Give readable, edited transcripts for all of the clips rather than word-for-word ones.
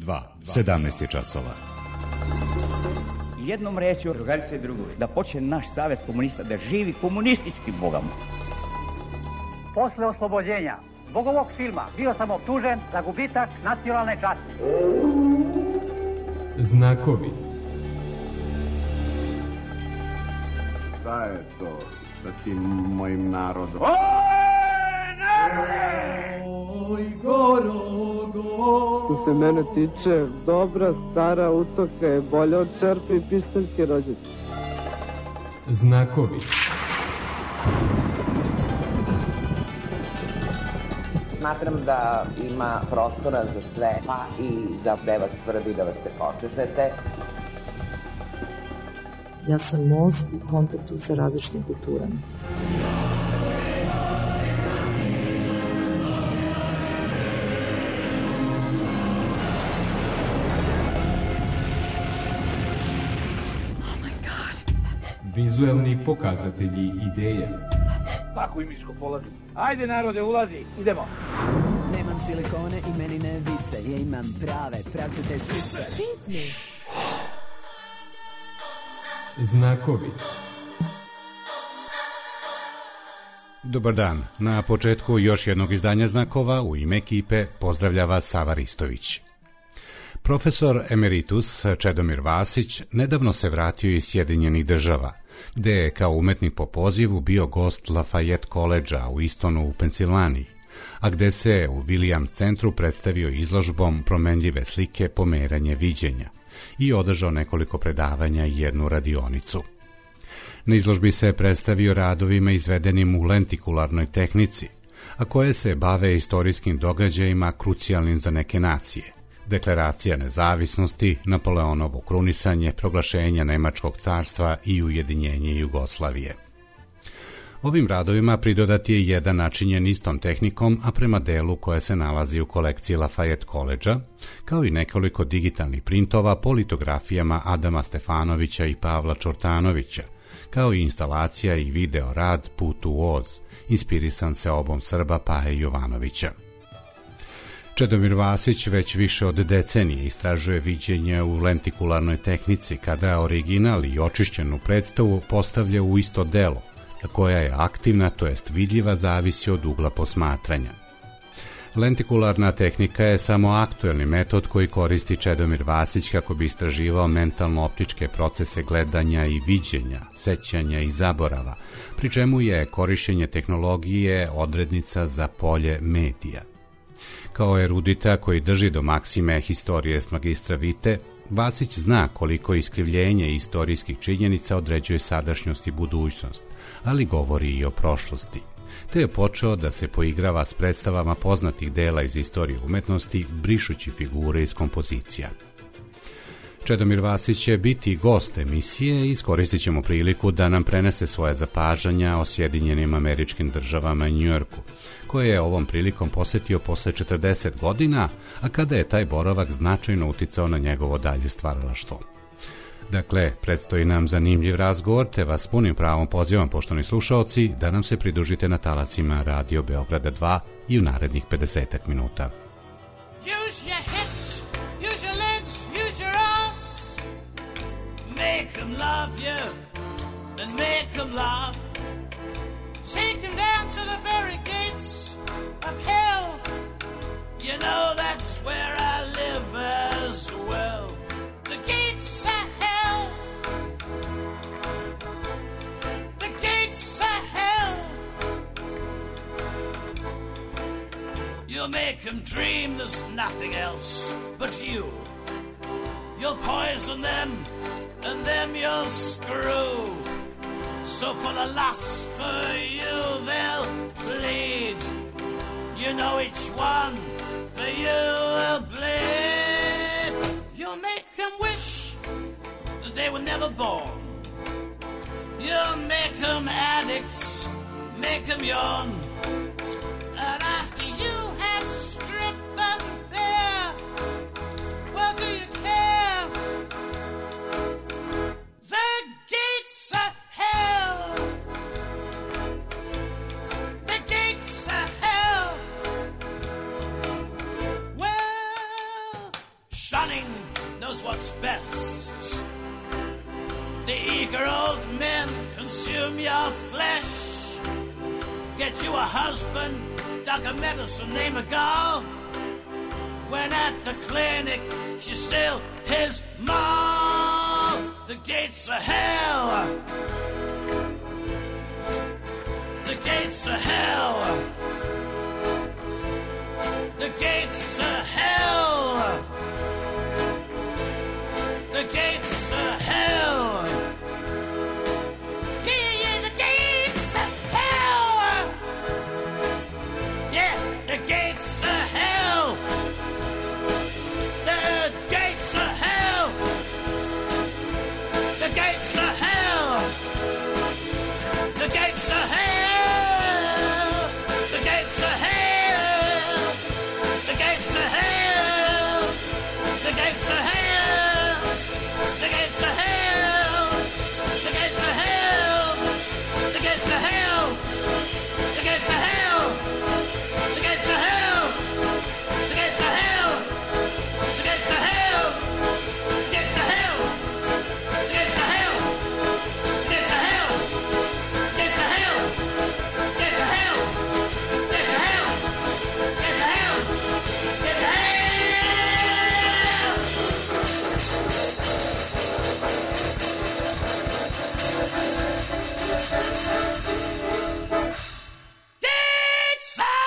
2, 17 je časova. Jednom rečju, drugarice i drugovi, da počne naš savez komunista, da živi komunistički bogamo. Posle oslobođenja zbog ovog filma bio sam optužen za gubitak nacionalne časti. Znakovi. Šta je to sa tim mojim narodom? Oj, Gorogo! Što se mene tiče, dobra stara utoka je bolja od čerpe i pištaljke rođete. Znakovi. Smatram da ima prostora za sve, pa i za da vas tvrdi da vas se počešete. Ja sam most u kontaktu sa različitim kulturama. Vizuelni pokazatelji ideje. Tako i miško polazi. Ajde narode, ulazi, idemo. Nemam silikone i meni ne vise, ja imam prave pravcete sise. Pitni. Znakovi. Dobar dan. Na početku još jednog izdanja Znakova u ime ekipe pozdravlja vas Sava Ristović. Profesor emeritus Čedomir Vasić nedavno se vratio iz Sjedinjenih Država, gde je kao umetnik po pozivu bio gost Lafayette College-a u Istonu u Pensilvaniji, a gde se u Williams centru predstavio izložbom Promenljive slike pomeranje viđenja i održao nekoliko predavanja i jednu radionicu. Na izložbi se predstavio radovima izvedenim u lentikularnoj tehnici, a koje se bave istorijskim događajima krucijalnim za neke nacije. Deklaracija nezavisnosti, Napoleonovo krunisanje, proglašenja Nemačkog carstva i ujedinjenje Jugoslavije. Ovim radovima pridodat je jedan načinjen istom tehnikom, a prema delu koje se nalazi u kolekciji Lafayette College-a, kao i nekoliko digitalnih printova po litografijama Adama Stefanovića i Pavla Čortanovića, kao i instalacija i video rad Put u Oz, inspirisan seobom Srba Paje Jovanovića. Čedomir Vasić već više od decenije istražuje viđenje u lentikularnoj tehnici, kada original i očišćenu predstavu postavlja u isto delo, koja je aktivna, to jest vidljiva, zavisi od ugla posmatranja. Lentikularna tehnika je samo aktuelni metod koji koristi Čedomir Vasić kako bi istraživao mentalno-optičke procese gledanja i viđenja, sećanja i zaborava, pri čemu je korišćenje tehnologije odrednica za polje medija. Kao erudita koji drži do maksime historijes magistra Vite, Vasić zna koliko iskrivljenje istorijskih činjenica određuje sadašnjost i budućnost, ali govori i o prošlosti. Te je počeo da se poigrava s predstavama poznatih dela iz istorije umetnosti, brišući figure iz kompozicija. Čedomir Vasić će biti gost emisije i iskoristit ćemo priliku da nam prenese svoje zapažanja o Sjedinjenim Američkim Državama i Njujorku, koje je ovom prilikom posetio posle 40 godina, a kada je taj boravak značajno uticao na njegovo dalje stvaralaštvo. Dakle, predstoji nam zanimljiv razgovor, te vas punim pravom pozivam, poštovani slušaoci, da nam se pridružite na talacima Radio Beograda 2 i u narednih 50 minuta. Use your hips, use your legs, use your ass. Make them love you and make them laugh. Take them down to the very gates of hell. You know that's where I live as well. The gates of hell. The gates of hell. You'll make them dream there's nothing else but you. You'll poison them and them you'll screw. So for the lust for you they'll plead. You know each one for you will bleed. You'll make them wish that they were never born. You'll make them addicts, make them yawn. And after you have stripped them bare, well, do you care? The gates of hell. The gates of hell. Well, shunning knows what's best. The eager old men consume your flesh. Get you a husband, doc a medicine, name a gal. When at the clinic, she's still his mom. The gates of hell. The gates of hell. The gates of hell. The gates of hell. Yeah, yeah, the gates of hell. Yeah, the gates of hell. The gates of hell. The gates of hell. The gates of hell. The gates of hell. The gates of hell. The gates of hell. The gates of hell. The gates of hell. The gates of hell. The gates of hell. The gates of hell. The gates of hell. The gates of hell. The gates of hell. The gates of hell. The gates of hell. Gates of hell. Gates of hell. Gates of hell. Gates of hell. Gates of hell. Gates of hell.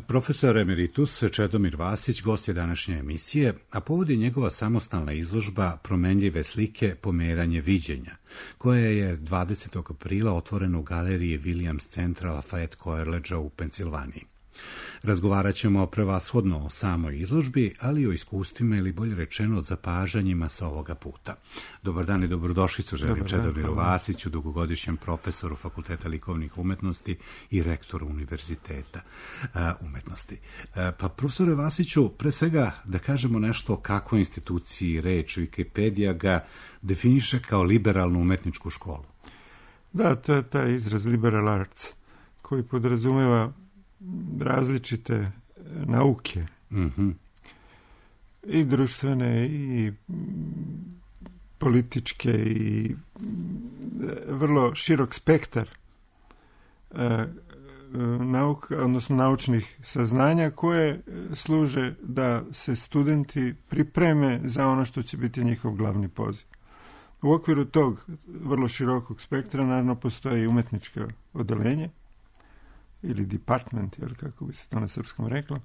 Profesor emeritus Čedomir Vasić gost je današnje emisije, a povod je njegova samostalna izložba Promenljive slike pomeranje viđenja, koja je 20. aprila otvorena u galeriji Williams Centra Lafayette Coleridgea u Pensilvaniji. Razgovarat ćemo prevashodno o samoj izložbi, ali i o iskustvima ili bolje rečeno zapažanjima sa ovoga puta. Dobar dan i dobrodošlicu želim Čedomiru Vasiću, dugogodišnjem profesoru Fakulteta likovnih umetnosti i rektoru Univerziteta umetnosti. Pa profesore Vasiću, pre svega da kažemo nešto o kakvoj instituciji reč. Wikipedija ga definiše kao liberalnu umetničku školu. Da, to je taj izraz liberal arts koji podrazumeva različite nauke, i društvene i političke i vrlo širok spektar nauka, odnosno naučnih saznanja koje služe da se studenti pripreme za ono što će biti njihov glavni poziv. U okviru tog vrlo širokog spektra naravno postoji umetničko odeljenje ili department, jer kako bi se to na srpskom reklo,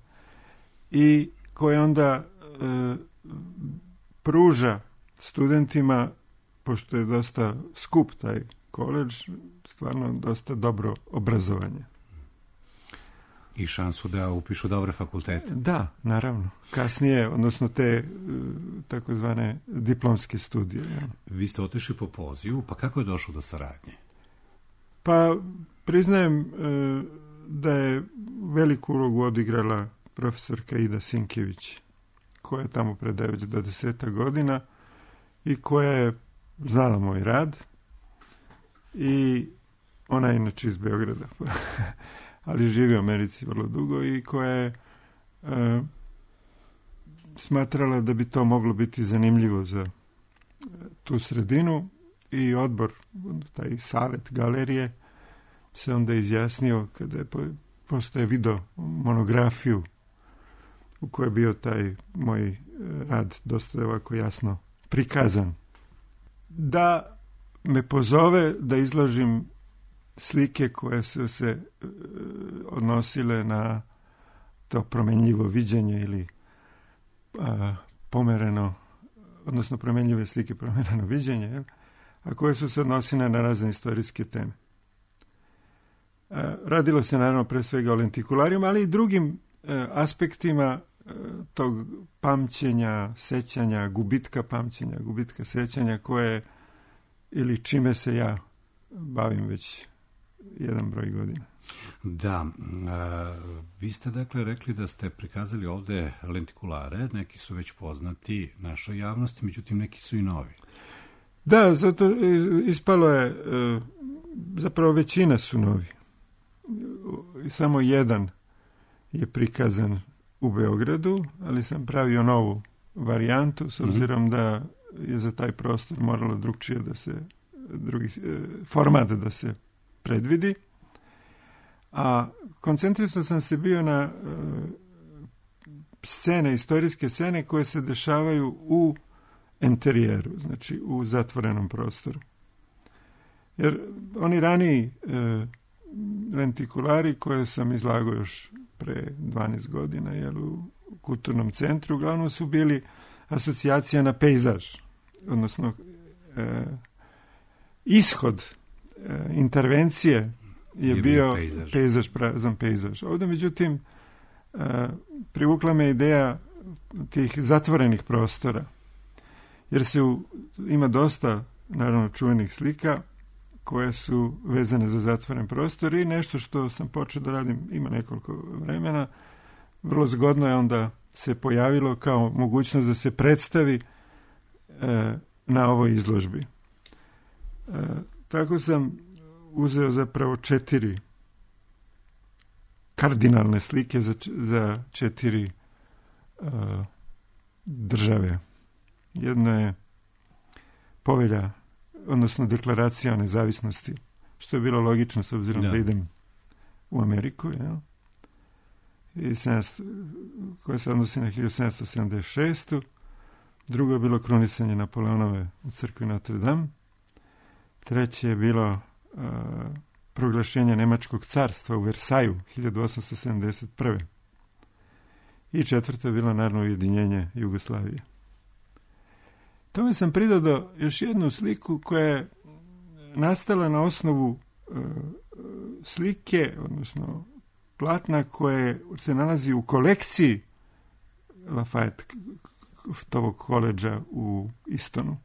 i koje onda pruža studentima, pošto je dosta skup taj koledž, stvarno dosta dobro obrazovanje. I šansu da upišu dobre fakultete. Da, naravno. Kasnije, odnosno te takozvane diplomske studije. Ja. Vi ste otišli po pozivu, pa kako je došlo do saradnje? Pa priznajem da je veliku ulogu odigrala profesorka Ida Sinkević, koja je tamo predaje već 20 godina i koja je znala moj rad, i ona je inače iz Beograda, ali živi u Americi vrlo dugo, i koja je smatrala da bi to moglo biti zanimljivo za tu sredinu, i odbor, taj savjet galerije, se onda izjasnio kada je postoje video monografiju u kojoj je bio taj moj rad dosta ovako jasno prikazan, da me pozove da izložim slike koje su se odnosile na to promenljivo viđenje ili pomereno, odnosno promenljive slike pomereno viđenje, a koje su se odnosile na razne istorijske teme. Radilo se naravno pre svega o lentikularijama, ali i drugim aspektima tog pamćenja, sećanja, gubitka pamćenja, gubitka sećanja, koje ili čime se ja bavim već jedan broj godina. Da, vi ste dakle rekli da ste prikazali ovde lentikulare, neki su već poznati našoj javnosti, međutim neki su i novi. Da, zato ispalo je, zapravo većina su novi. Samo jedan je prikazan u Beogradu, ali sam pravio novu varijantu, s obzirom da je za taj prostor moralo drugčije drugi format da se predvidi. A koncentrisao sam se bio na scene, istorijske scene koje se dešavaju u enterijeru, znači u zatvorenom prostoru. Jer oni raniji lentikulari koje sam izlagao još pre 12 godina u kulturnom centru, uglavnom su bili asocijacija na pejzaž, odnosno ishod intervencije je bio pejzaž, prazan pejzaž. Ovdje, međutim, privukla me ideja tih zatvorenih prostora, jer ima dosta, naravno, čuvenih slika koje su vezane za zatvoren prostor i nešto što sam počeo da radim, ima nekoliko vremena, vrlo zgodno je onda se pojavilo kao mogućnost da se predstavi na ovoj izložbi. Tako sam uzeo zapravo 4 kardinalne slike za 4 države. Jedno je povelja, odnosno deklaracija o nezavisnosti, što je bilo logično s obzirom da idem u Ameriku, koja se odnosi na 1776. Drugo je bilo krunisanje Napoleonove u crkvi Notre Dame. Treće je bilo proglašenje Nemačkog carstva u Versaju 1871. I četvrto je bilo naravno ujedinjenje Jugoslavije. Tome sam pridodao još jednu sliku koja je nastala na osnovu slike, odnosno platna koje se nalazi u kolekciji Lafayette koledža u Istonu.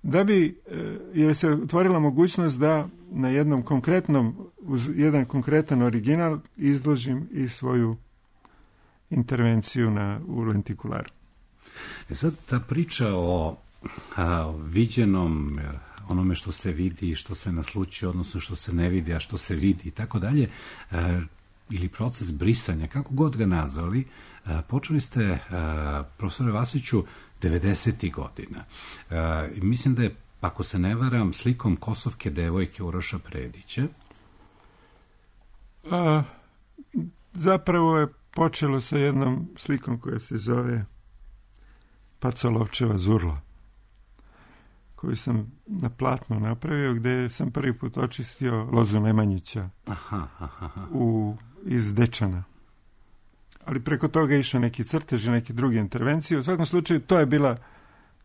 Da bi, jer se otvorila mogućnost da na jednom konkretnom, uz jedan konkretan original izložim i svoju intervenciju u lentikularu. Sad ta priča o viđenom, onome što se vidi, što se nasluči, odnosno što se ne vidi, a što se vidi i tako dalje, ili proces brisanja, kako god ga nazvali, počeli ste, profesore Vasiću, 90. godina. Mislim da je, ako se ne varam, slikom Kosovke devojke Uroša Predića. Zapravo je počelo sa jednom slikom koja se zove Pacolovčeva Zurla, koju sam na platnu napravio, gdje sam prvi put očistio lozu Nemanjića iz Dečana. Ali preko toga je išao neki crtež i neke druge intervencije. U svakom slučaju, to je bila,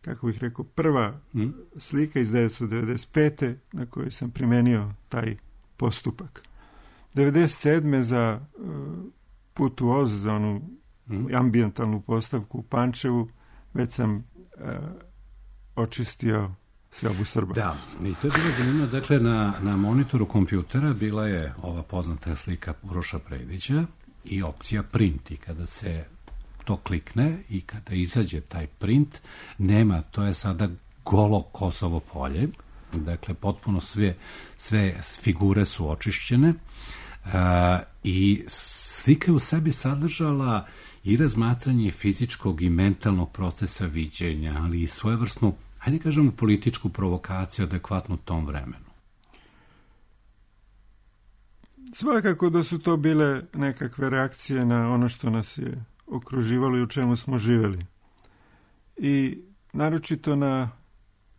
kako bih rekao, prva slika iz 1995. na kojoj sam primenio taj postupak. 1997. za Put u Oz, za onu ambijentalnu postavku u Pančevu, već sam očistio Seobu Srba. Da, i to je bilo zanimljivo. Dakle, na monitoru kompjutera bila je ova poznata slika Uroša Predića i opcija print. I kada se to klikne i kada izađe taj print, nema, to je sada golo Kosovo polje. Dakle, potpuno sve figure su očišćene i slika je u sebi sadržala i razmatranje fizičkog i mentalnog procesa viđenja, ali i svojevrsnu, hajde kažemo, političku provokaciju adekvatnu tom vremenu. Svakako da su to bile nekakve reakcije na ono što nas je okruživalo i u čemu smo živjeli. I naročito na,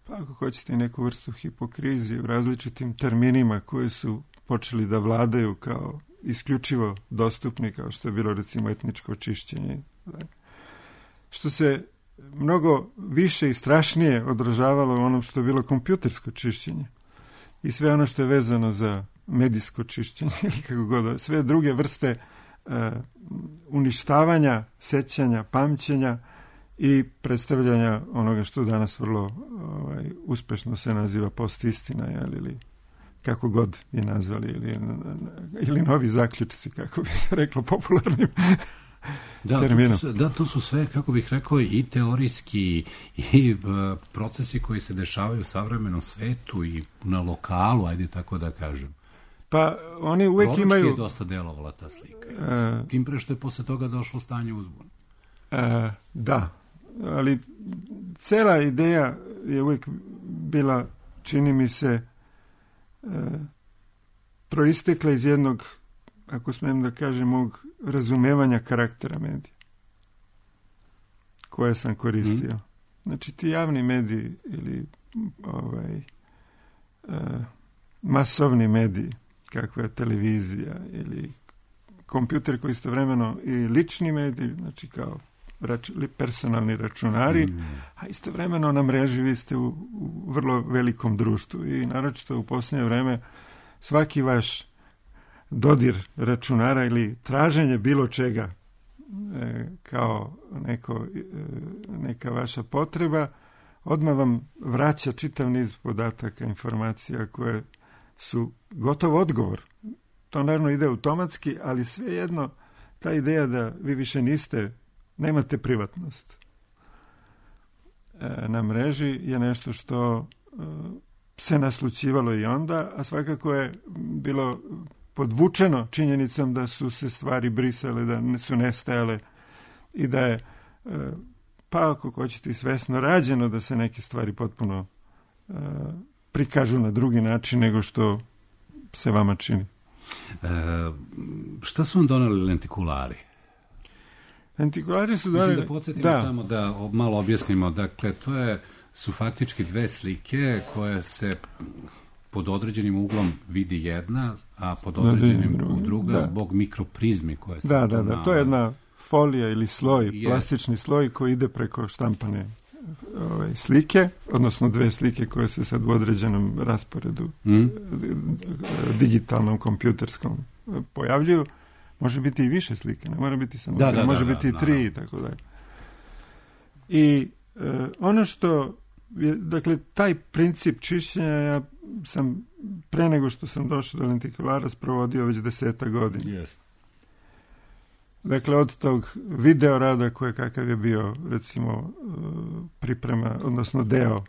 ako hoćete, neku vrstu hipokrizije u različitim terminima koji su počeli da vladaju kao isključivo dostupni, kao što je bilo recimo etničko čišćenje. Što se mnogo više i strašnije odražavalo u onom što je bilo kompjutersko čišćenje. I sve ono što je vezano za medijsko čišćenje ili kako god, sve druge vrste uništavanja, sećanja, pamćenja i predstavljanja onoga što danas vrlo uspešno se naziva postistina, ili kako god je nazvali, ili novi zaključci, kako bi se reklo popularnim terminom. To su sve, kako bih rekao, i teorijski i procesi koji se dešavaju u savremenom svetu i na lokalu, ajde tako da kažem. Pa oni uvek Proročki imaju... je dosta delovala ta slika. Tim pre što je posle toga došlo stanje uzbuna. Da, ali cela ideja je uvek bila, čini mi se, proistekla iz jednog, ako smijem da kažem, mog razumevanja karaktera medija koje sam koristio. Znači, ti javni mediji ili masovni mediji, kakva je televizija ili kompjuter koji istovremeno i lični mediji, znači kao personalni računari, a istovremeno na mreži vi ste u vrlo velikom društvu i naročito u posljednje vreme svaki vaš dodir računara ili traženje bilo čega kao neka vaša potreba odmah vam vraća čitav niz podataka, informacija koje su gotov odgovor. To naravno ide automatski, ali svejedno ta ideja da vi više nemate privatnost na mreži je nešto što se naslućivalo i onda, a svakako je bilo podvučeno činjenicom da su se stvari brisale, da su nestajale i da je, pa ako hoćete, svesno rađeno da se neke stvari potpuno prikažu na drugi način nego što se vama čini. Šta su vam donali lentikulari? Lentikulari su donali... Mislim da podsjetimo samo da malo objasnimo. Dakle, su faktički dve slike koje se pod određenim uglom vidi jedna, a pod određenim druga zbog mikroprizmi koje se... Da, to je jedna folija ili sloj, plastični sloj koji ide preko štampane slike, odnosno dve slike koje se sad u određenom rasporedu digitalnom, kompjuterskom pojavljuju. Može biti i više slike, ne mora biti samo može biti i 3 i tako dalje. I ono što je, dakle, taj princip čišćenja ja sam pre nego što sam došao do lentikulara sprovodio već 10 godina. Yes. Dakle, od tog video rada kakav je bio, recimo, priprema, odnosno deo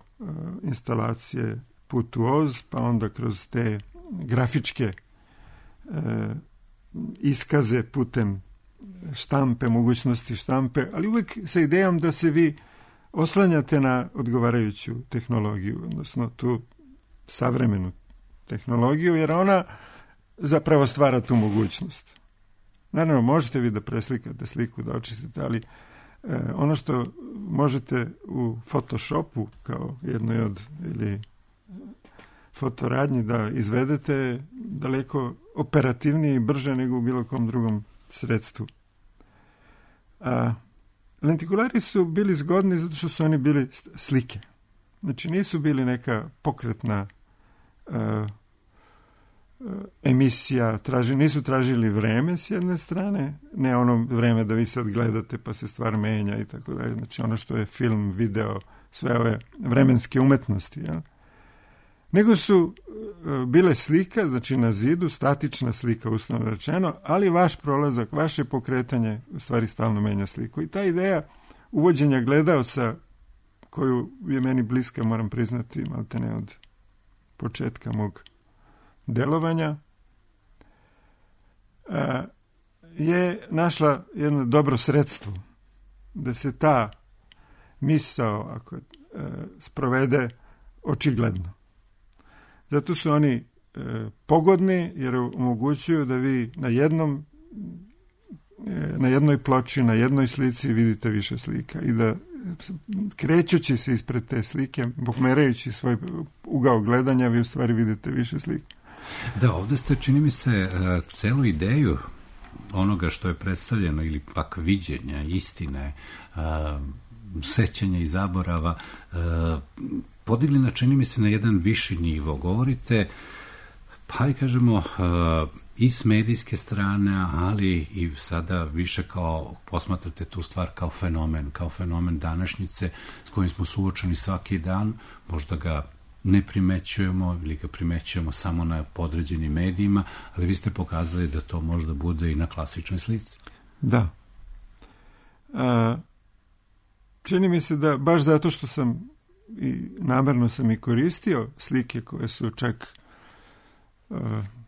instalacije Put u Oz, pa onda kroz te grafičke iskaze putem štampe, mogućnosti štampe, ali uvijek sa idejom da se vi oslanjate na odgovarajuću tehnologiju, odnosno tu savremenu tehnologiju, jer ona zapravo stvara tu mogućnost. Naravno, možete vi da preslikate sliku, da očistite, ali ono što možete u Photoshopu kao jednoj od ili fotoradnji da izvedete daleko operativnije i brže nego u bilo kom drugom sredstvu. Lentikulari su bili zgodni zato što su oni bili slike. Znači nisu bili neka pokretna emisija, nisu tražili vreme s jedne strane, ne ono vreme da vi sad gledate pa se stvar menja i tako dalje. Znači ono što je film, video, sve ove vremenske umetnosti, jel? Nego su bile slika, znači na zidu, statična slika, uslovno rečeno, ali vaš prolazak, vaše pokretanje u stvari stalno menja sliku. I ta ideja uvođenja gledaoca, koju je meni bliska, moram priznati, maltene od početka mog delovanja, je našla jedno dobro sredstvo da se ta misao ako sprovede očigledno. Zato su oni pogodni jer omogućuju da vi na jednoj ploči, na jednoj slici vidite više slika i da krećući se ispred te slike, pomerajući svoj ugao gledanja, vi u stvari vidite više slika. Da, ovdje ste, čini mi se, celu ideju onoga što je predstavljeno ili pak viđenja, istine, sećanja i zaborava, podigli na, čini mi se, na jedan viši nivo. Govorite, pa i kažemo, i s medijske strane, ali i sada više kao, posmatrate tu stvar kao fenomen današnjice s kojim smo suočeni svaki dan, možda ga ne primećujemo ili ga primećujemo samo na podređenim medijima, ali vi ste pokazali da to možda bude i na klasičnoj slici. Da. Čini mi se da baš zato što sam i namerno sam i koristio slike koje su čak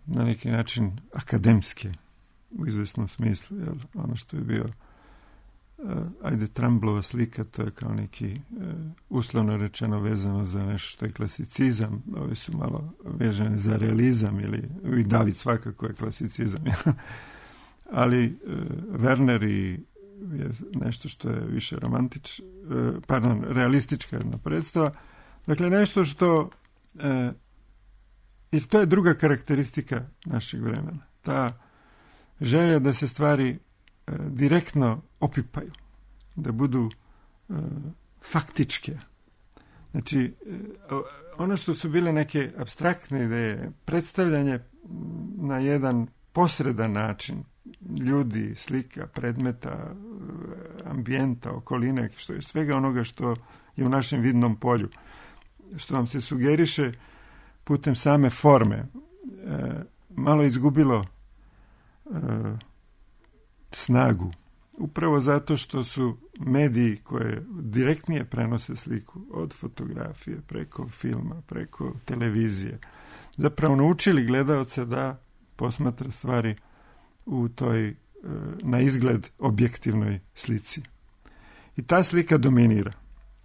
na neki način akademske u izvesnom smislu, jel? Ono što je bio Trumblova slika, to je kao neki uslovno rečeno vezano za nešto što je klasicizam, ovi su malo vezane za realizam, ili i David svakako je klasicizam, ali Werner je nešto što je više realistička jedna predstava, dakle nešto što i to je druga karakteristika našeg vremena, ta želja da se stvari direktno opipaju, da budu faktičke. Znači, ono što su bile neke apstraktne ideje, predstavljanje na jedan posredan način ljudi, slika, predmeta, ambijenta, okoline, što je svega onoga što je u našem vidnom polju, što vam se sugeriše putem same forme, malo izgubilo snagu. Upravo zato što su mediji koje direktnije prenose sliku, od fotografije, preko filma, preko televizije, zapravo naučili gledaoca da posmatra stvari u toj na izgled objektivnoj slici. I ta slika dominira.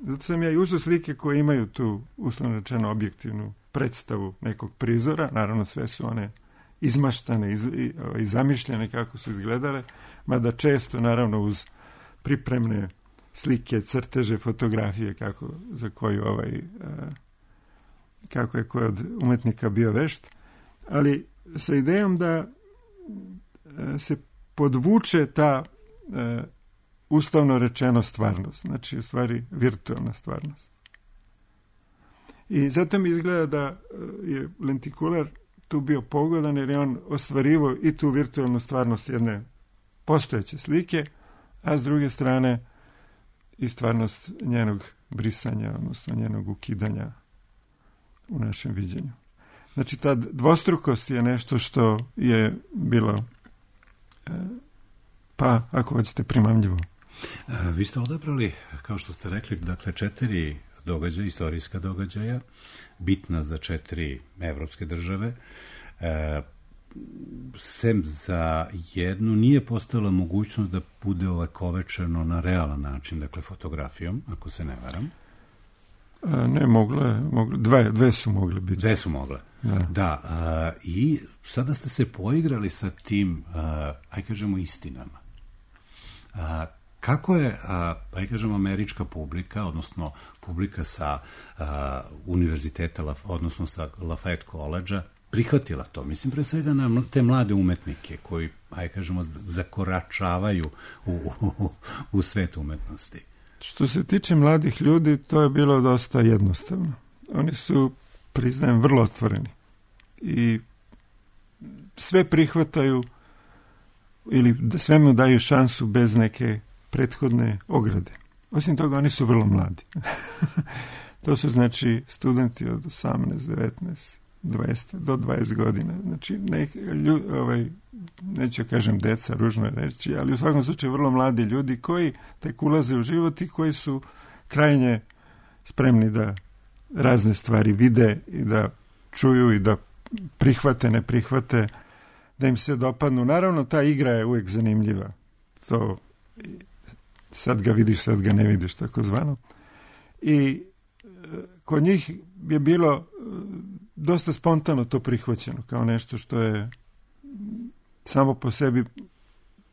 Zato sam ja i uzeo slike koje imaju tu, uslovno rečeno, objektivnu predstavu nekog prizora. Naravno, sve su one izmaštane i zamišljene kako su izgledale, mada često, naravno, uz pripremne slike, crteže, fotografije, kako je koji od umetnika bio vešt, ali sa idejom da se podvuče ta uslovno rečeno stvarnost, znači u stvari virtualna stvarnost. I zato mi izgleda da je lentikular tu bio pogodan, jer je on ostvarivao i tu virtualnu stvarnost jedne postojeće slike, a s druge strane i stvarnost njenog brisanja, odnosno njenog ukidanja u našem viđenju. Znači, ta dvostrukost je nešto što je bilo, pa, ako hoćete, primamljivo. Vi ste odabrali, kao što ste rekli, dakle, 4 događaja, istorijska događaja, bitna za 4 evropske države. Sem za jednu nije postojala mogućnost da bude ovekovečeno na realan način, dakle fotografijom, ako se ne varam. Ne, dve su mogle biti. Dve su mogle. Da, i sada ste se poigrali sa tim, aj kažemo, istinama. Kako je, aj kažemo, američka publika, odnosno publika sa univerziteta, odnosno sa Lafayette College-a, prihvatila to? Mislim, pre svega na te mlade umetnike koji, aj kažemo, zakoračavaju u svet umetnosti. Što se tiče mladih ljudi, to je bilo dosta jednostavno. Oni su, priznajem, vrlo otvoreni i sve prihvataju ili da svemu daju šansu bez neke prethodne ograde. Osim toga, oni su vrlo mladi. To su, znači, studenti od 18, 19, 20 do 20 godina. Znači, neću kažem deca, ružno je reći, ali u svakom slučaju vrlo mladi ljudi koji tek ulaze u život i koji su krajnje spremni da razne stvari vide i da čuju i da prihvate, ne prihvate, da im se dopadnu. Naravno, ta igra je uvijek zanimljiva. To sad ga vidiš, sad ga ne vidiš, tako zvano. I kod njih je bilo dosta spontano to prihvaćeno, kao nešto što je samo po sebi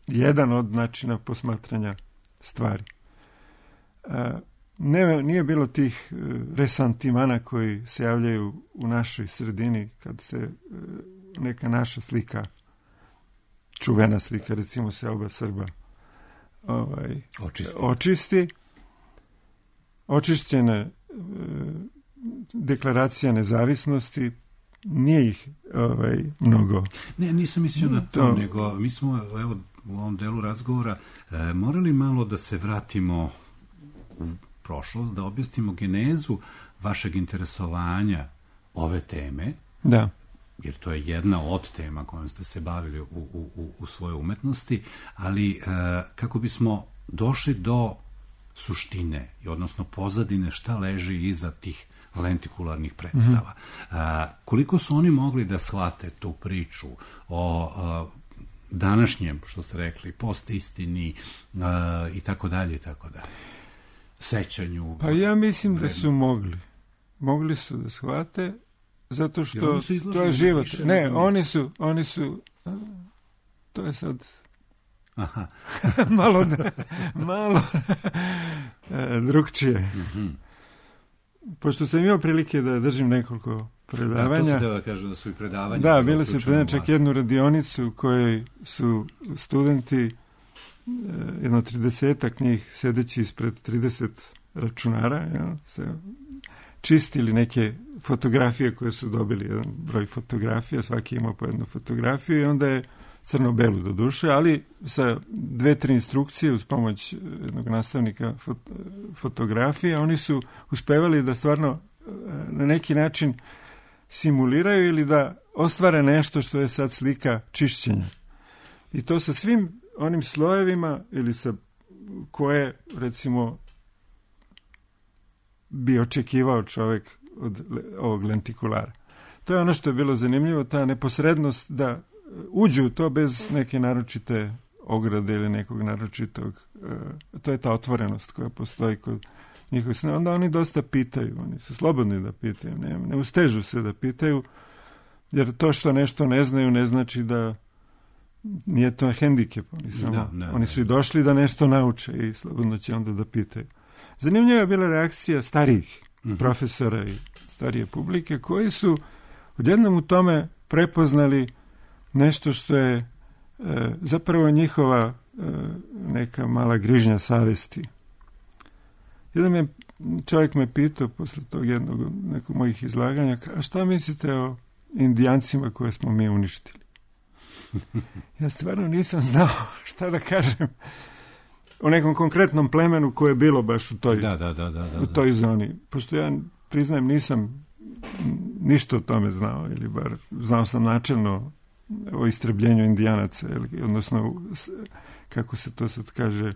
jedan od načina posmatranja stvari. Nije bilo tih resantimana koji se javljaju u našoj sredini kad se neka naša slika, čuvena slika, recimo Selba Srba, očisti. Očišćena deklaracija nezavisnosti, nije ih mnogo. Ne, nisam mislio na to, nego mi smo, evo, u ovom delu razgovora morali malo da se vratimo u prošlost, da objasnimo genezu vašeg interesovanja ove teme. Da. Jer to je jedna od tema kojom ste se bavili u svojoj umetnosti, ali kako bismo došli do suštine, odnosno pozadine šta leži iza tih lentikularnih predstava. Koliko su oni mogli da shvate tu priču o današnjem, što ste rekli, postistini i tako dalje, sećanju? Pa ja mislim da su mogli. Mogli su da shvate, zato što to je život. Ne, oni su to je sad malo drugčije. Pošto sam imao prilike da držim nekoliko predavanja. To se da kaže da su i predavanja. Da, bili su čak jednu radionicu koji su studenti, jedno 30-ak njih sedeći ispred 30 računara, se čistili neke fotografije koje su dobili, jedan broj fotografija, svaki imao po jednu fotografiju i onda je crno-belu do duše, ali sa 2-3 instrukcije uz pomoć jednog nastavnika fotografije, oni su uspevali da stvarno na neki način simuliraju ili da ostvare nešto što je sad slika čišćenja. I to sa svim onim slojevima ili sa koje, recimo, bi očekivao čovjek od ovog lentikulara. To je ono što je bilo zanimljivo, ta neposrednost da uđu u to bez neke naročite ograde ili nekog naročitog, to je ta otvorenost koja postoji kod njihovih sna. Onda oni dosta pitaju, oni su slobodni da pitaju, ne ustežu se da pitaju, jer to što nešto ne znaju ne znači da nije to hendikep. Oni su i došli da nešto nauče i slobodno će onda da pitaju. Zanimljiva je bila reakcija starijih profesora i starije publike koji su odjednom u tome prepoznali nešto što je zapravo njihova neka mala grižnja savesti. Jedan čovjek me pitao posle tog nekog mojih izlaganja, a šta mislite o Indijancima koje smo mi uništili? Ja stvarno nisam znao šta da kažem o nekom konkretnom plemenu koje je bilo baš u toj zoni. Pošto ja, priznajem, nisam ništa o tome znao, ili bar znao sam načelno o istrebljenju Indijanaca, odnosno, kako se to sad kaže,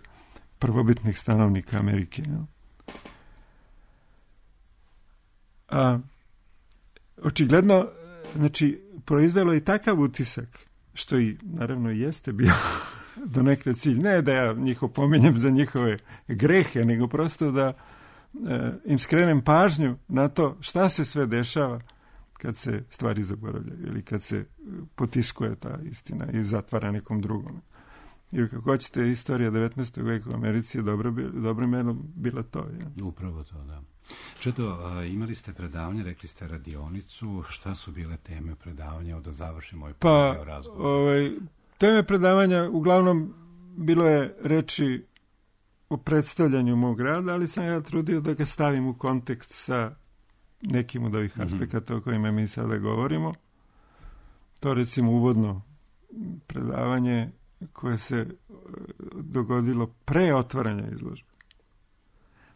prvobitnih stanovnika Amerike. Očigledno, znači, proizvelo i takav utisak, što i naravno jeste bio do nekre cilj. Ne da ja njih opominjem za njihove grehe, nego prosto da im skrenem pažnju na to šta se sve dešava kad se stvari zaboravljaju ili kad se potiskuje ta istina i zatvara nekom drugom. Jer kako hoćete, istorija 19. veka u Americi je dobro meno bila to. Je. Upravo to, da. Čedo, imali ste predavanje, rekli ste radionicu, šta su bile teme predavanja, da završimo ovaj razgovor? Teme predavanja uglavnom bilo je reči o predstavljanju mog rada, ali sam ja trudio da ga stavim u kontekst sa nekim od ovih aspekata o kojima mi sada govorimo. To recimo uvodno predavanje koje se dogodilo pre otvaranja izložbe.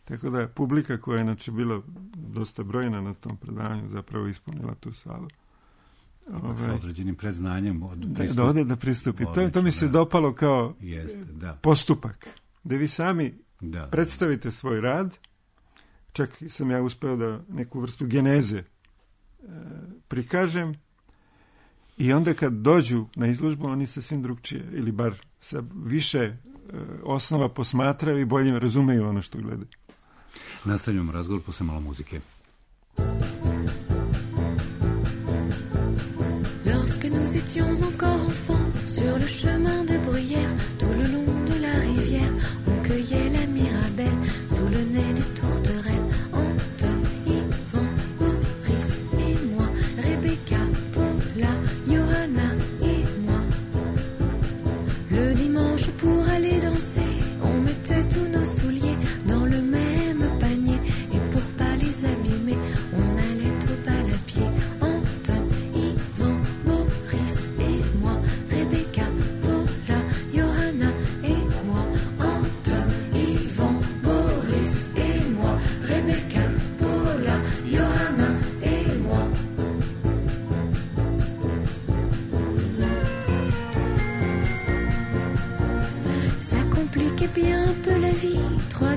Tako da publika koja je inače bila dosta brojna na tom predavanju zapravo ispunila tu salu. Sa određenim predznanjem da pristupi. To mi se dopalo kao postupak. Da vi sami predstavite svoj rad. Čak sam ja uspeo da neku vrstu geneze prikažem i onda kad dođu na izložbu oni sasvim drugčije ili bar sa više osnova posmatraju i bolje razumeju ono što gledaju. Nastavljamo razgovor posle malo muzike. Lorsque nous étions encore enfants, sur le chemin de Bruyère, tout le long de la rivière, on cueillait la mirabelle, sous le nez des tourterelles. Anton, Yvan, Maurice et moi, Rebecca, Paula, Johanna et moi. Le dimanche pour aller danser, on mettait tous nos souliers dans le même panier, et pour pas les abîmer, on allait au bal à pied. Anton, Yvan, Maurice et moi, Rebecca, Paula,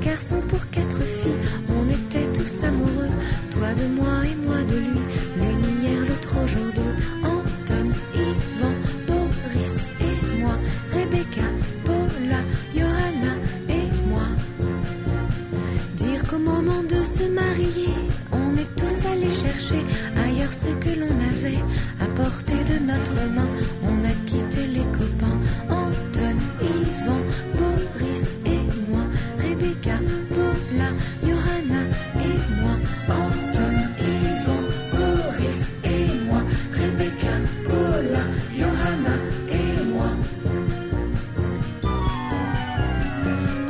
garçons pour 4 filles. On était tous amoureux, toi de moi et moi de lui. L'une hier, l'autre aujourd'hui. Anton, Ivan, Boris et moi. Rebecca, Paula, Johanna et moi. Dire qu'au moment de se marier, on est tous allés chercher ailleurs ce que l'on avait à portée de notre main. On a quitté les copains. Anton, Ivan, Boris et moi. Rebecca, Paula, Johanna et moi. Anton, Ivan, Boris et moi. Rebecca, Paula, Johanna et moi.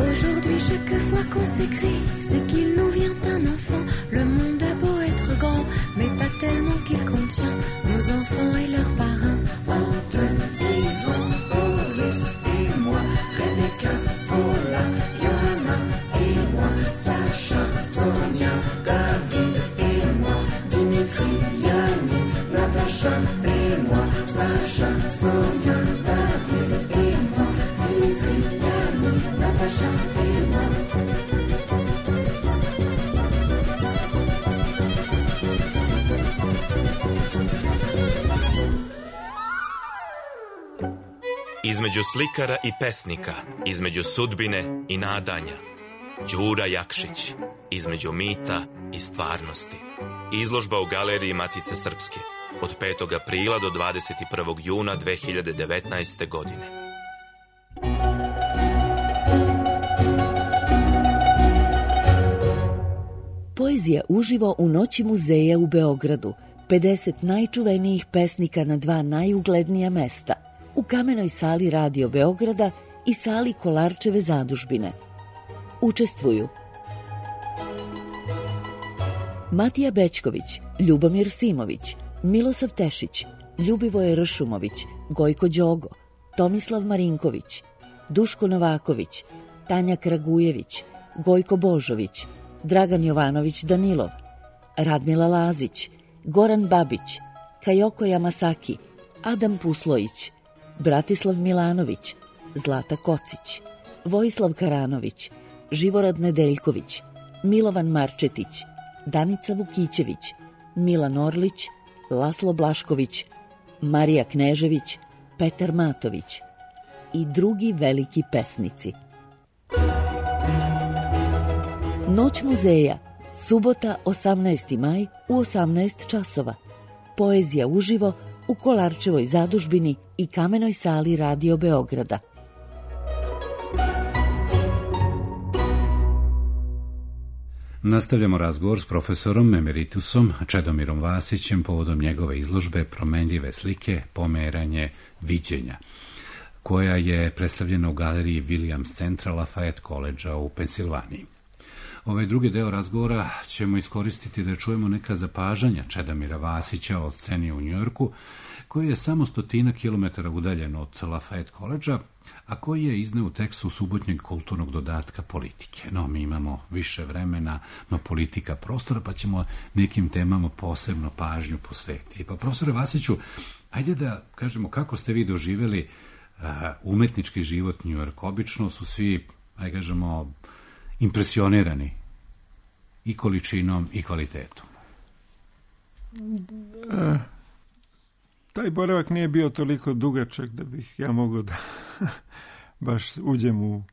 Aujourd'hui, chaque fois qu'on s'écrit, c'est qu'il nous vient un enfant. Le monde a beau être grand, mais pas tellement qu'il contient nos enfants et leurs parrains. Anton, Ivan, Boris et moi. Rebecca, Paula, Johanna et moi. Sacha, Sonia, David et moi. Dimitri, Yanni, Natacha et moi. Sacha, Sonia, David et moi. Dimitri, Yanni, Natacha et moi. Između slikara i pesnika, između sudbine i nadanja. Đura Jakšić, između mita i stvarnosti. Izložba u Galeriji Matice Srpske od 5. aprila do 21. juna 2019. godine. Poezija uživo u Noći muzeja u Beogradu. 50 najčuvenijih pesnika na 2 najuglednija mesta. U Kamenoj sali Radio Beograda i sali Kolarčeve zadužbine. Učestvuju Matija Bećković, Ljubomir Simović, Milosav Tešić, Ljubivoje Ršumović, Gojko Đogo, Tomislav Marinković, Duško Novaković, Tanja Kragujević, Gojko Božović, Dragan Jovanović Danilov, Radmila Lazić, Goran Babić, Kajoko Yamasaki, Adam Puslojić, Bratislav Milanović, Zlata Kocić, Vojislav Karanović, Živorad Nedeljković, Milovan Marčetić, Danica Vukićević, Milan Orlić, Laslo Blašković, Marija Knežević, Petar Matović i drugi veliki pesnici. Noć muzeja, subota 18. maj u 18 časova. Poezija uživo u Kolarčevoj zadužbini i Kamenoj sali Radio Beograda. Nastavljamo razgovor s profesorom emeritusom Čedomirom Vasićem povodom njegove izložbe Promenljive slike, pomeranje viđenja, koja je predstavljena u galeriji Williams Centra Lafayette College u Pensilvaniji. Ovaj drugi deo razgovora ćemo iskoristiti da čujemo neka zapažanja Čedomira Vasića o sceni u Njujorku, koji je samo 100 kilometara udaljen od Lafayette College-a, a koji je izneo u tekstu subotnjeg kulturnog dodatka politike. No, mi imamo više vremena, no politika prostora, pa ćemo nekim temama posebno pažnju posvetiti. Pa, profesore Vasiću, ajde da kažemo kako ste vi doživjeli umetnički život Njujorka. Obično su svi, ajde kažemo, impresionirani i količinom i kvalitetom. Taj boravak nije bio toliko dugačak da bih ja mogao da baš uđem u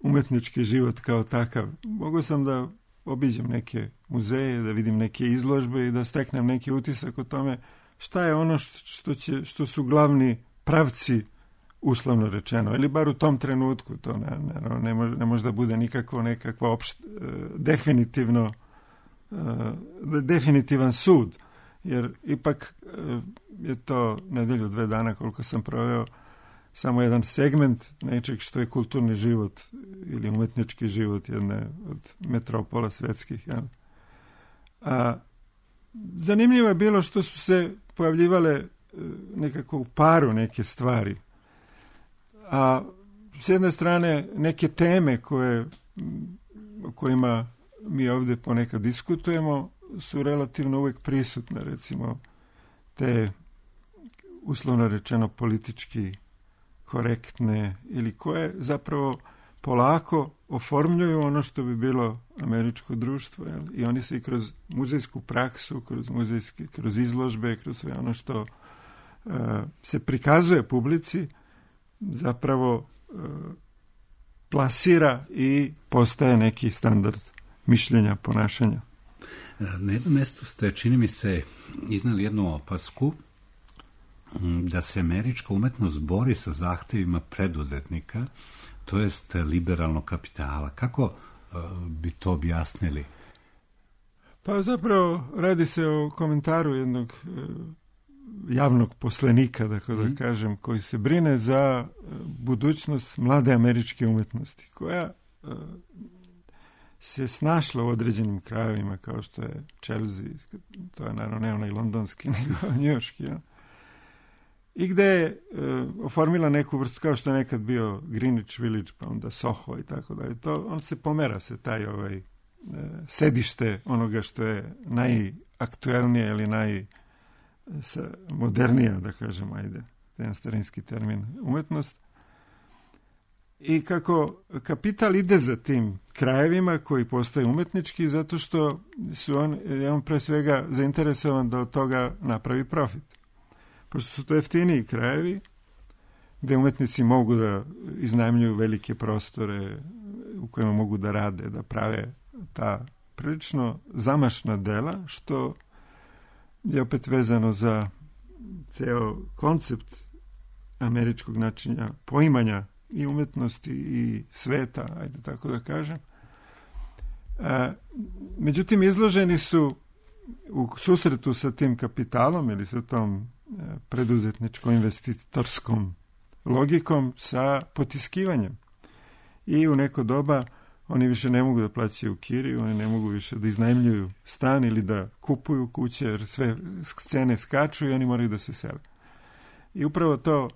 umetnički život kao takav. Mogao sam da obiđem neke muzeje, da vidim neke izložbe i da steknem neki utisak o tome šta je ono što su glavni pravci, uslovno rečeno, ili bar u tom trenutku. To ne može da bude nikakva definitivan sud, jer ipak je to nedelju 2 dana koliko sam proveo samo jedan segment nečeg što je kulturni život ili umetnički život jedne od metropola svetskih. Ja. Zanimljivo je bilo što su se pojavljivale nekako u paru neke stvari. A s jedne strane neke teme o kojima mi ovdje ponekad diskutujemo su relativno uvijek prisutne, recimo te uslovno rečeno politički korektne ili koje zapravo polako oformljuju ono što bi bilo američko društvo. Jel? I oni se i kroz muzejsku praksu, kroz izložbe, kroz sve ono što se prikazuje publici, zapravo plasira i postaje neki standard mišljenja, ponašanja. Na jednom mjestu ste, čini mi se, iznali jednu opasku da se američka umetnost bori sa zahtjevima preduzetnika, to jest liberalnog kapitala. Kako bi to objasnili? Pa zapravo radi se o komentaru jednog javnog poslenika, da kažem, koji se brine za budućnost mlade američke umetnosti, koja se snašla u određenim krajevima, kao što je Chelsea, to je naravno ne onaj londonski, nego njujorški, ja? I gde je oformila neku vrstu, kao što je nekad bio Greenwich Village, pa onda Soho i tako dalje. On se pomera se taj sedište onoga što je najaktuelnije ili modernija, da kažem, ajde, jedan starinski termin, umetnost. I kako kapital ide za tim krajevima koji postaju umetnički, zato što je on pre svega zainteresovan da od toga napravi profit. Pošto su to jeftiniji krajevi, gde umetnici mogu da iznajmljuju velike prostore u kojima mogu da rade, da prave ta prilično zamašna dela, što je opet vezano za ceo koncept američkog načina poimanja i umetnosti i sveta, ajde tako da kažem. Međutim, izloženi su u susretu sa tim kapitalom ili sa tom preduzetničko-investitorskom logikom sa potiskivanjem. I u neko doba oni više ne mogu da plaćaju kiriju, oni ne mogu više da iznajmljuju stan ili da kupuju kuće, jer sve cene skaču i oni moraju da se sele. I upravo to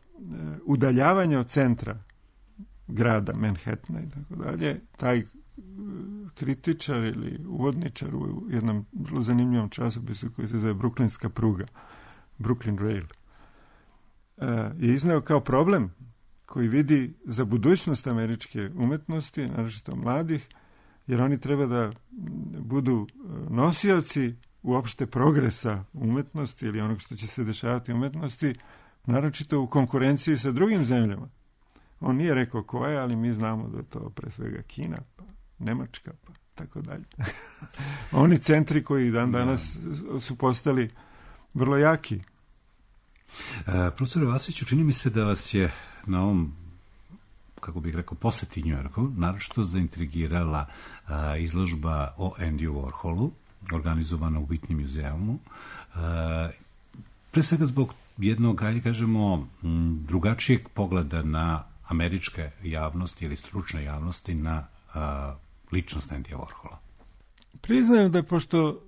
udaljavanje od centra grada Manhattana i tako dalje, taj kritičar ili uvodničar u jednom vrlo zanimljivom časopisu koji se zove Brooklynska pruga, Brooklyn Rail, je izneo kao problem koji vidi za budućnost američke umetnosti, naročito mladih, jer oni treba da budu nosioci uopšte progresa umetnosti ili onog što će se dešavati u umetnosti, naročito u konkurenciji sa drugim zemljama. On nije rekao koja, ali mi znamo da je to pre svega Kina, pa Nemačka, pa tako dalje. Oni centri koji danas su postali vrlo jaki. Profesor Vasiću, čini mi se da vas je na ovom, kako bih rekao, poseti Njujorku naročito zaintrigirala izložba o Andyu Warholu, organizovana u Whitney muzeumu. Pre svega zbog jednog, ajde kažemo, drugačijeg pogleda na američke javnosti ili stručne javnosti na ličnost Andya Warhola. Priznajem da pošto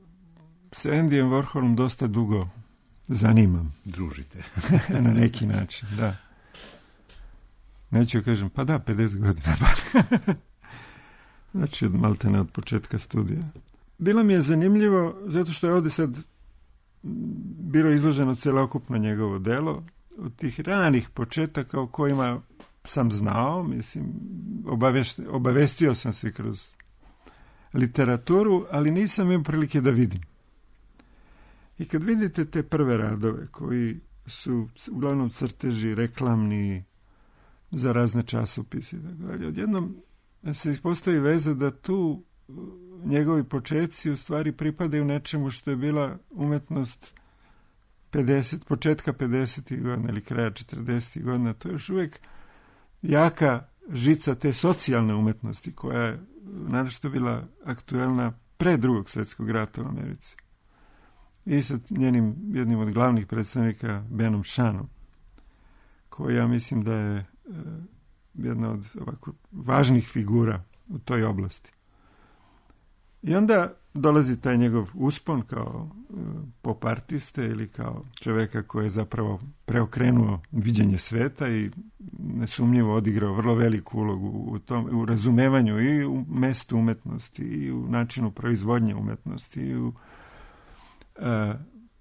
se Andyjem Warholom dosta dugo zanimam. Družite. Na neki način, da. Neću kažem, pa da, 50 godina. Znači, maltene od početka studija. Bilo mi je zanimljivo, zato što je ovdje sad bilo izloženo celokupno njegovo delo, od tih ranih početaka o kojima sam znao, mislim, obavestio sam se kroz literaturu, ali nisam imao prilike da vidim. I kad vidite te prve radove koji su uglavnom crteži, reklamni, za razne časopise, odjednom se ispostavi veza da tu njegovi početci u stvari pripadaju nečemu što je bila umetnost početka 50. godina ili kraja 40. godina. To je još uvijek jaka žica te socijalne umetnosti koja je naročito bila aktuelna pre Drugog svjetskog rata u Americi. I sa jednim od glavnih predstavnika, Benom Shanom, koji ja mislim da je jedna od ovako važnih figura u toj oblasti. I onda dolazi taj njegov uspon kao pop artiste ili kao čoveka koji je zapravo preokrenuo viđenje sveta i nesumnjivo odigrao vrlo veliku ulogu u razumevanju i u mestu umetnosti i u načinu proizvodnje umetnosti i u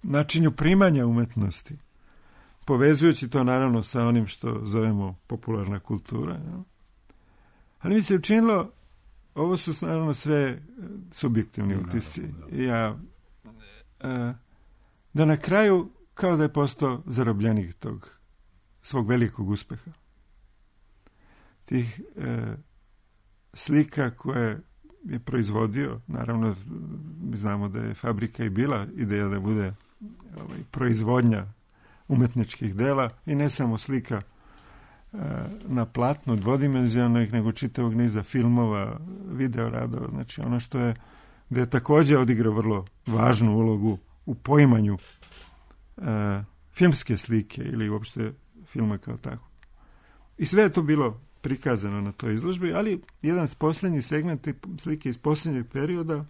načinu primanja umetnosti, povezujući to naravno sa onim što zovemo popularna kultura. Ja? Ali mi se učinilo, ovo su naravno sve subjektivni utisci. Da na kraju kao da je postao zarobljenik tog svog velikog uspeha. Tih slika koje je proizvodio, naravno mi znamo da je fabrika i bila ideja da bude proizvodnja umetničkih dela i ne samo slika na platnu dvodimenzionalnih, nego čitavog niza filmova, videoradova, znači ono što je, gde je također odigrao vrlo važnu ulogu u poimanju filmske slike ili uopšte filma kao tako. I sve je to bilo prikazano na toj izložbi, ali jedan posljednji segment slike iz posljednjeg perioda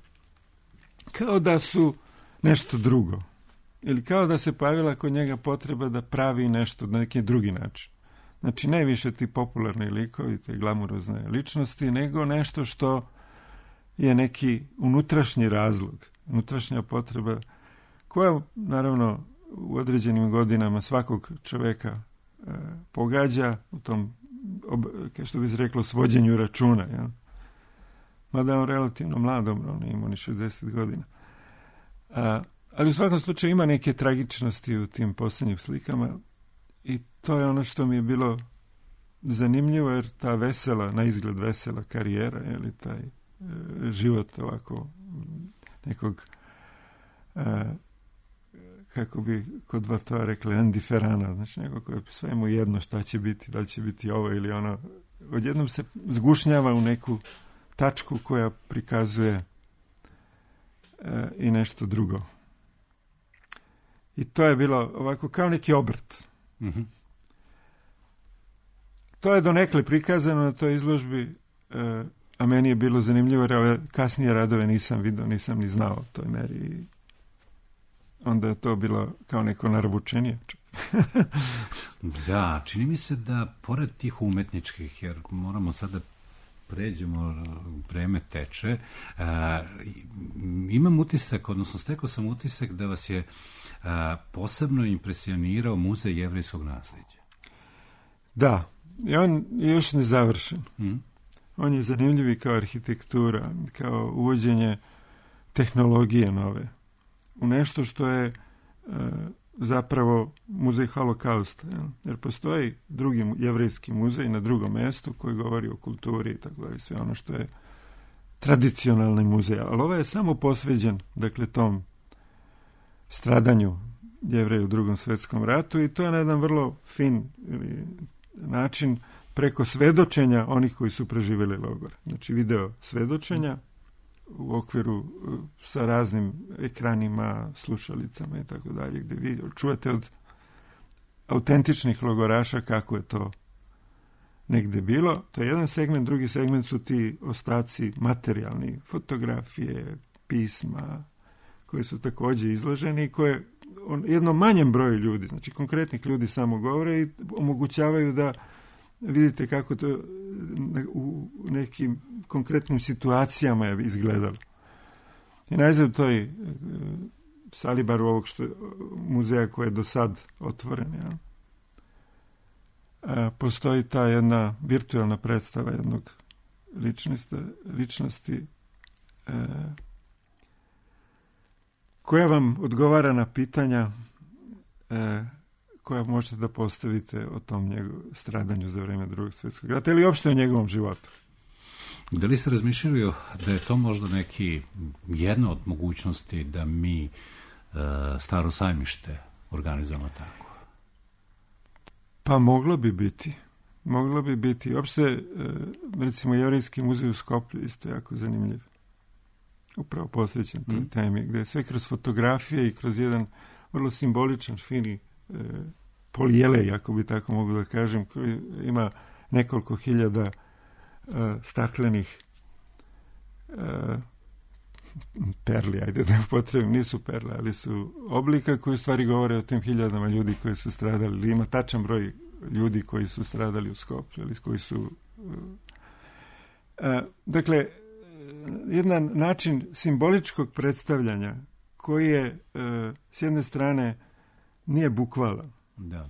kao da su nešto drugo. Ili kao da se pojavila kod njega potreba da pravi nešto na neki drugi način. Znači, ne više ti popularni likovi, te glamurozne ličnosti, nego nešto što je neki unutrašnji razlog, unutrašnja potreba koja, naravno, u određenim godinama svakog čoveka pogađa u tom, što bi se reklo, svođenju računa. Ja? Mada on relativno mladom, on je imao ni 60 godina. Ali u svakom slučaju ima neke tragičnosti u tim posljednjim slikama i to je ono što mi je bilo zanimljivo, jer ta vesela, na izgled vesela karijera, ili taj život ovako nekog, kako bi kod Vatova rekli, indiferana, znači neko koje sve mu jedno šta će biti, da li će biti ovo ili ono, odjednom se zgušnjava u neku tačku koja prikazuje i nešto drugo. I to je bilo ovako kao neki obrt. Mm-hmm. To je donekle prikazano na toj izložbi, a meni je bilo zanimljivo jer ove kasnije radove nisam vidio, nisam ni znao u toj meri. Onda je to bilo kao neko naručenje. Da, čini mi se da pored tih umetničkih, jer moramo sada pređemo, vreme teče, imam utisak, odnosno stekao sam utisak da vas je posebno impresionirao Muzej jevrejskog nasljeđa. Da, i on je još nezavršen. On je zanimljiv i kao arhitektura, kao uvođenje tehnologije nove u nešto što je zapravo muzej holokausta. Jer postoji drugi jevrejski muzej na drugom mjestu koji govori o kulturi i tako dalje, sve ono što je tradicionalni muzej. Ali ovo je samo posveđen, dakle, tom stradanju Jevreja u Drugom svjetskom ratu i to je na jedan vrlo fin način preko svedočenja onih koji su preživjeli logor. Znači video svedočenja u okviru sa raznim ekranima, slušalicama i tako dalje, gdje vi čujete od autentičnih logoraša kako je to negdje bilo. To je jedan segment, drugi segment su ti ostaci materijalni, fotografije, pisma, koji su također izloženi i koje jednom manjem broju ljudi, znači konkretnih ljudi samo govore i omogućavaju da vidite kako to u nekim konkretnim situacijama je izgledalo. I najzad toj Salibaru ovog muzeja koji je do sad otvoren, ja, postoji ta jedna virtualna predstava jednog ličnosti koja vam odgovara na pitanja koja možete da postavite o tom stradanju za vrijeme Drugog svjetskog rata ili uopšte o njegovom životu. Da li ste razmišljali da je to možda jedna od mogućnosti da mi Staro sajmište organizujemo tako? Pa moglo bi biti. Moglo bi biti. Uopšte, recimo, Jevrejski muzej u Skoplju isto jako zanimljiv. Upravo posvećen toj temi, gdje je sve kroz fotografije i kroz jedan vrlo simboličan, fini polijelej, ako bi tako mogu da kažem, koji ima nekoliko hiljada staklenih perli, ajde da upotrebim, nisu perle, ali su oblika koji u stvari govore o tim hiljadama ljudi koji su stradali, ili ima tačan broj ljudi koji su stradali u Skoplju, ili koji su dakle, jedan način simboličkog predstavljanja koji je s jedne strane nije bukvalan, da,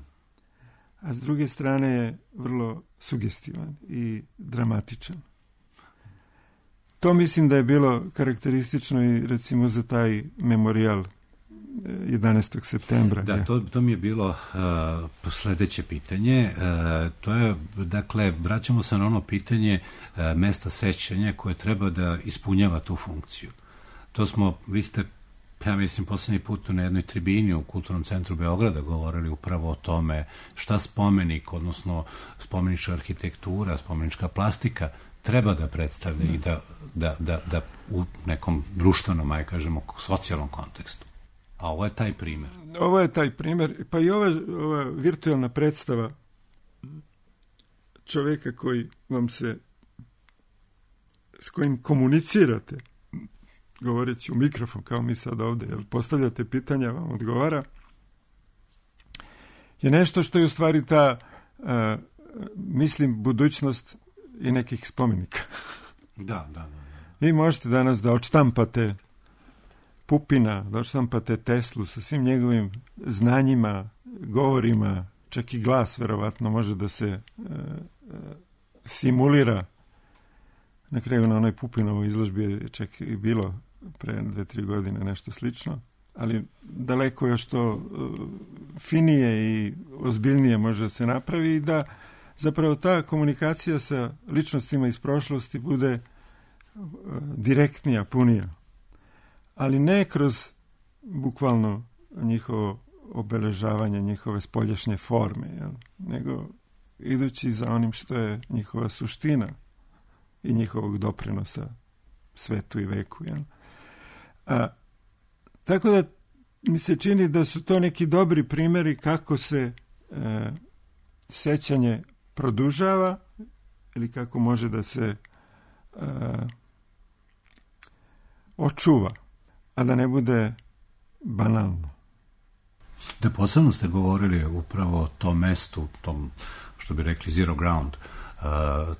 a s druge strane je vrlo sugestivan i dramatičan. to mislim da je bilo karakteristično i recimo za taj memorijal 11. septembra. Da, to mi je bilo sledeće pitanje. To je, dakle, vraćamo se na ono pitanje mesta sećanja koje treba da ispunjava tu funkciju. To smo, vi ste, ja mislim, poslednji put na jednoj tribini u Kulturnom centru Beograda govorili upravo o tome šta spomenik, odnosno spomenička arhitektura, spomenička plastika treba da predstavlja i da u nekom društvenom, aj kažemo, socijalnom kontekstu. A ovo je taj primjer. Ovo je taj primjer, pa i ova virtualna predstava čovjeka koji vam se, s kojim komunicirate, govoreći u mikrofon, kao mi sad ovdje, jel, postavljate pitanja, vam odgovara, je nešto što je u stvari ta, mislim, budućnost i nekih spomenika. Da. Vi možete danas da odštampate Pupina, da odštampate Teslu sa svim njegovim znanjima, govorima, čak i glas verovatno može da se simulira. Na kraju na onoj Pupinovoj izložbi je čak i bilo pre 2-3 godine nešto slično, ali daleko još to finije i ozbiljnije može da se napravi i da zapravo ta komunikacija sa ličnostima iz prošlosti bude direktnija, punija. Ali ne kroz bukvalno njihovo obeležavanje, njihove spoljašnje forme, jel? Nego idući za onim što je njihova suština i njihovog doprinosa svetu i veku. Jel? Tako da mi se čini da su to neki dobri primjeri kako se sećanje produžava ili kako može da se očuva, a da ne bude banalno. Da, posebno ste govorili upravo o tom mestu, tom, što bi rekli, zero ground,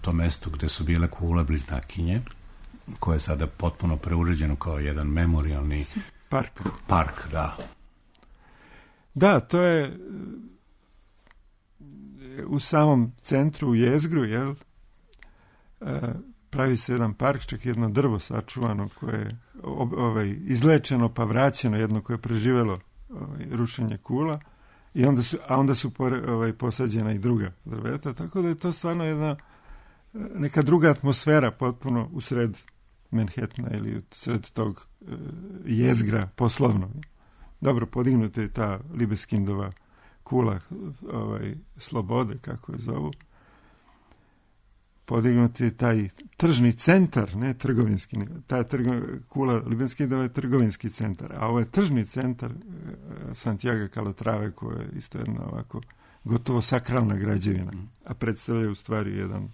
tom mestu gde su bile kule bliznakinje, koje je sada potpuno preuređeno kao jedan memorijalni park, da. Da, to je u samom centru, u jezgru, jel? Pravi se jedan park, čak jedno drvo sačuvano koje je izlečeno pa vraćeno, jedno koje je preživelo rušenje kula, i onda su posađena i druga drveta, tako da je to stvarno jedna neka druga atmosfera potpuno u sred Manhattana ili u sred tog jezgra poslovnog. Dobro, podignuta je ta Libeskindova kula slobode, kako je zovu. Podignut je taj tržni centar, ne trgovinski. Ta kula Libeskindova je trgovinski centar, a ovo je tržni centar Santiago Calatrave, koja je isto jedna ovako gotovo sakralna građevina, a predstavlja u stvari jedan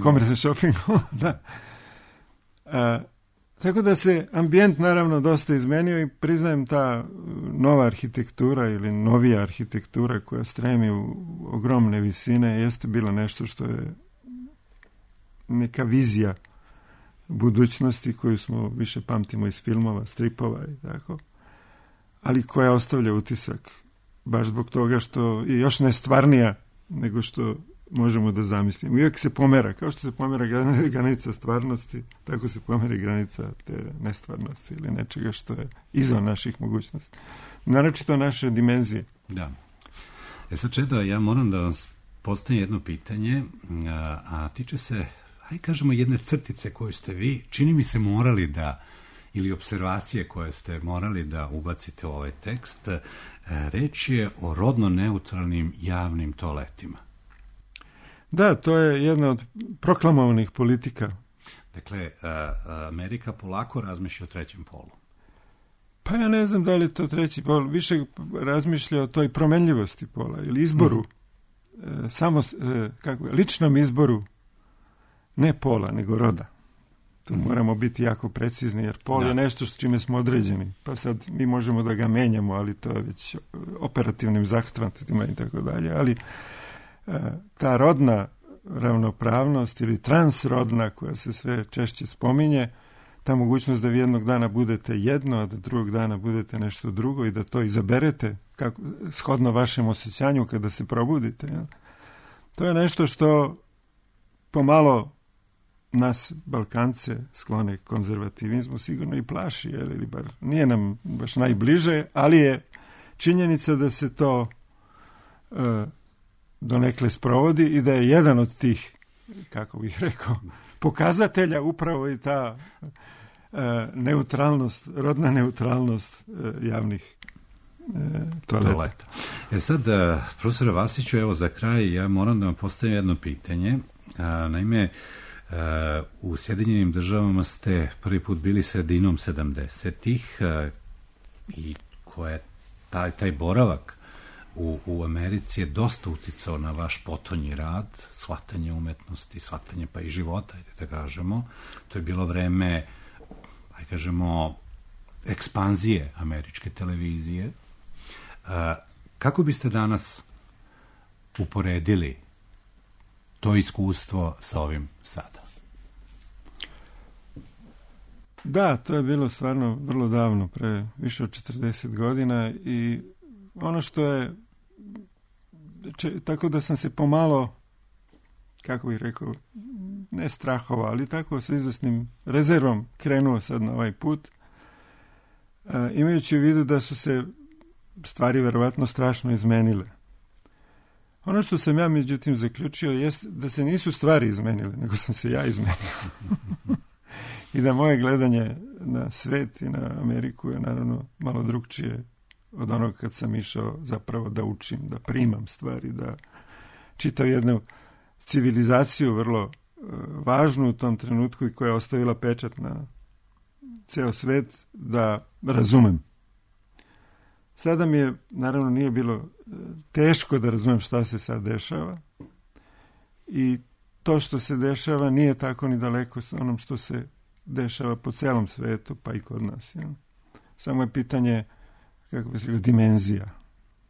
komercijalni shopping. Da. Tako da se ambijent naravno dosta izmenio i priznajem ta nova arhitektura ili novija arhitektura koja stremi u ogromne visine jeste bila nešto što je neka vizija budućnosti koju smo više pamtimo iz filmova, stripova i tako, ali koja ostavlja utisak baš zbog toga što je još nestvarnija nego što možemo da zamislimo. Uvijek se pomera, kao što se pomera granica stvarnosti, tako se pomera granica te nestvarnosti ili nečega što je izvan naših mogućnosti. Naročito naše dimenzije. Da. Sad, Čedo, ja moram da vam postavim jedno pitanje, a tiče se, hajde kažemo, jedne crtice koju ste vi, čini mi se, morali da, ili observacije koje ste morali da ubacite u ovaj tekst. Reč je o rodno neutralnim javnim toaletima. Da, to je jedna od proklamovanih politika. Dakle, Amerika polako razmišlja o trećem polu. Pa ja ne znam da li je to treći pol, više razmišlja o toj promenljivosti pola ili izboru, samo ličnom izboru, ne pola, nego roda. Tu moramo biti jako precizni, jer pol je nešto s čime smo određeni. Pa sad mi možemo da ga menjamo, ali to je već operativnim zahvatima i tako dalje, ali ta rodna ravnopravnost ili transrodna koja se sve češće spominje, ta mogućnost da vi jednog dana budete jedno, a da drugog dana budete nešto drugo i da to izaberete kako, shodno vašem osjećanju kada se probudite. Ja? To je nešto što pomalo nas Balkance sklone konzervativizmu sigurno i plaši, ili bar nije nam baš najbliže, ali je činjenica da se to donekle sprovodi i da je jedan od tih, kako bih rekao, pokazatelja upravo i ta neutralnost, rodna neutralnost javnih toaleta. Sad, profesore Vasiću, evo za kraj ja moram da vam postavim jedno pitanje. Naime, u Sjedinjenim Državama ste prvi put bili sredinom 70-ih i taj boravak u Americi je dosta uticao na vaš potonji rad, shvatanje umetnosti, shvatanje pa i života, da kažemo. To je bilo vreme, kažemo, ekspanzije američke televizije. Kako biste danas uporedili to iskustvo sa ovim sada? Da, to je bilo stvarno vrlo davno, pre više od 40 godina i ono što je, tako da sam se pomalo, kako bih rekao, ne strahovao, ali tako sa izvesnim rezervom krenuo sad na ovaj put, imajući u vidu da su se stvari verovatno strašno izmenile. Ono što sam ja međutim zaključio jest da se nisu stvari izmenile, nego sam se ja izmenio. I da moje gledanje na svet i na Ameriku je naravno malo drugčije od onog kad sam išao zapravo da učim, da primam stvari, da čitam jednu civilizaciju vrlo važnu u tom trenutku i koja je ostavila pečat na ceo svet, da razumem. Sada mi je, naravno, nije bilo teško da razumem šta se sad dešava i to što se dešava nije tako ni daleko sa onom što se dešava po celom svetu, pa i kod nas. Ja. Samo je pitanje, kako bi se rekao, dimenzija,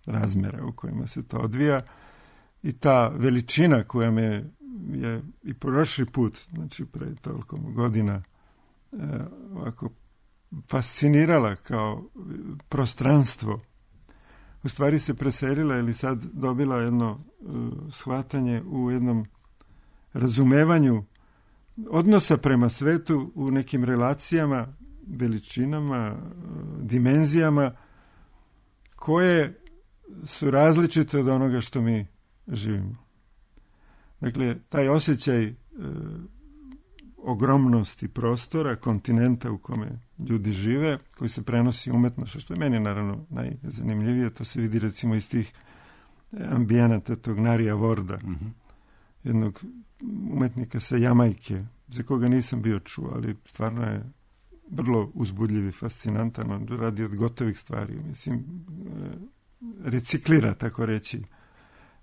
razmera u kojima se to odvija i ta veličina koja me je i prošli put, znači pre toliko godina, ovako fascinirala kao prostranstvo, u stvari se preselila ili sad dobila jedno shvatanje u jednom razumevanju odnosa prema svetu u nekim relacijama, veličinama, dimenzijama koje su različite od onoga što mi živimo. Dakle, taj osjećaj ogromnosti prostora, kontinenta u kome ljudi žive, koji se prenosi umetno, što je meni naravno najzanimljivije, to se vidi recimo iz tih ambijenata tog Narija Vorda, jednog umetnika sa Jamajke, za koga nisam bio čuo, ali stvarno je vrlo uzbudljiv i fascinantan, on radi od gotovih stvari, mislim, reciklira, tako reći,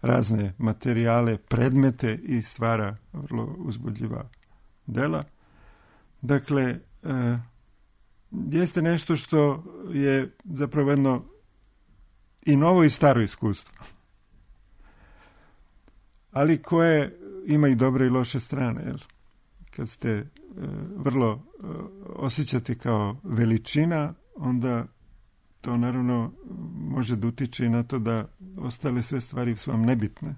razne materijale, predmete i stvara vrlo uzbudljiva dela. Dakle, jeste nešto što je zapravo jedno i novo i staro iskustvo, ali koje ima i dobre i loše strane. Jer kad ste vrlo osjećate kao veličina, onda to naravno može da utiče i na to da ostale sve stvari su vam nebitne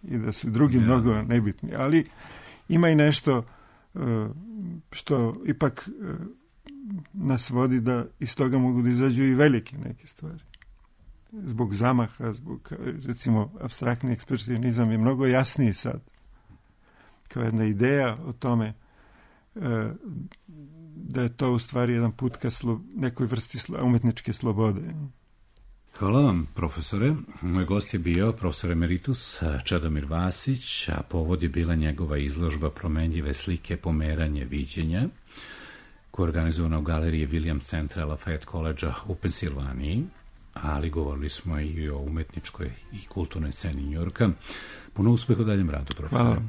i da su drugi mnogo nebitni. Ali ima i nešto što ipak nas vodi da iz toga mogu da izađu i velike neke stvari. Zbog zamaha, zbog, recimo, apstraktni ekspresionizam je mnogo jasniji sad. Kao jedna ideja o tome da je to u stvari jedan put ka nekoj vrsti umetničke slobode. Hvala vam, profesore. Moj gost je bio profesor emeritus Čedomir Vasić, a povod je bila njegova izložba Promenljive slike, pomeranje viđenja, koja je organizovana u galeriji Williams Centra Lafayette College-a u Pensilvaniji, ali govorili smo i o umetničkoj i kulturnoj sceni Njujorka. Puno uspeha u daljem radu, profesore. Hvala.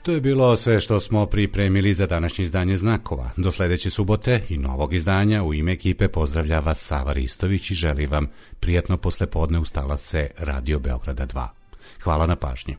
To je bilo sve što smo pripremili za današnje izdanje Znakova. Do sledeće subote i novog izdanja u ime ekipe pozdravlja vas Sava Ristović i želi vam prijatno poslepodne uz talase Radio Beograda 2. Hvala na pažnji.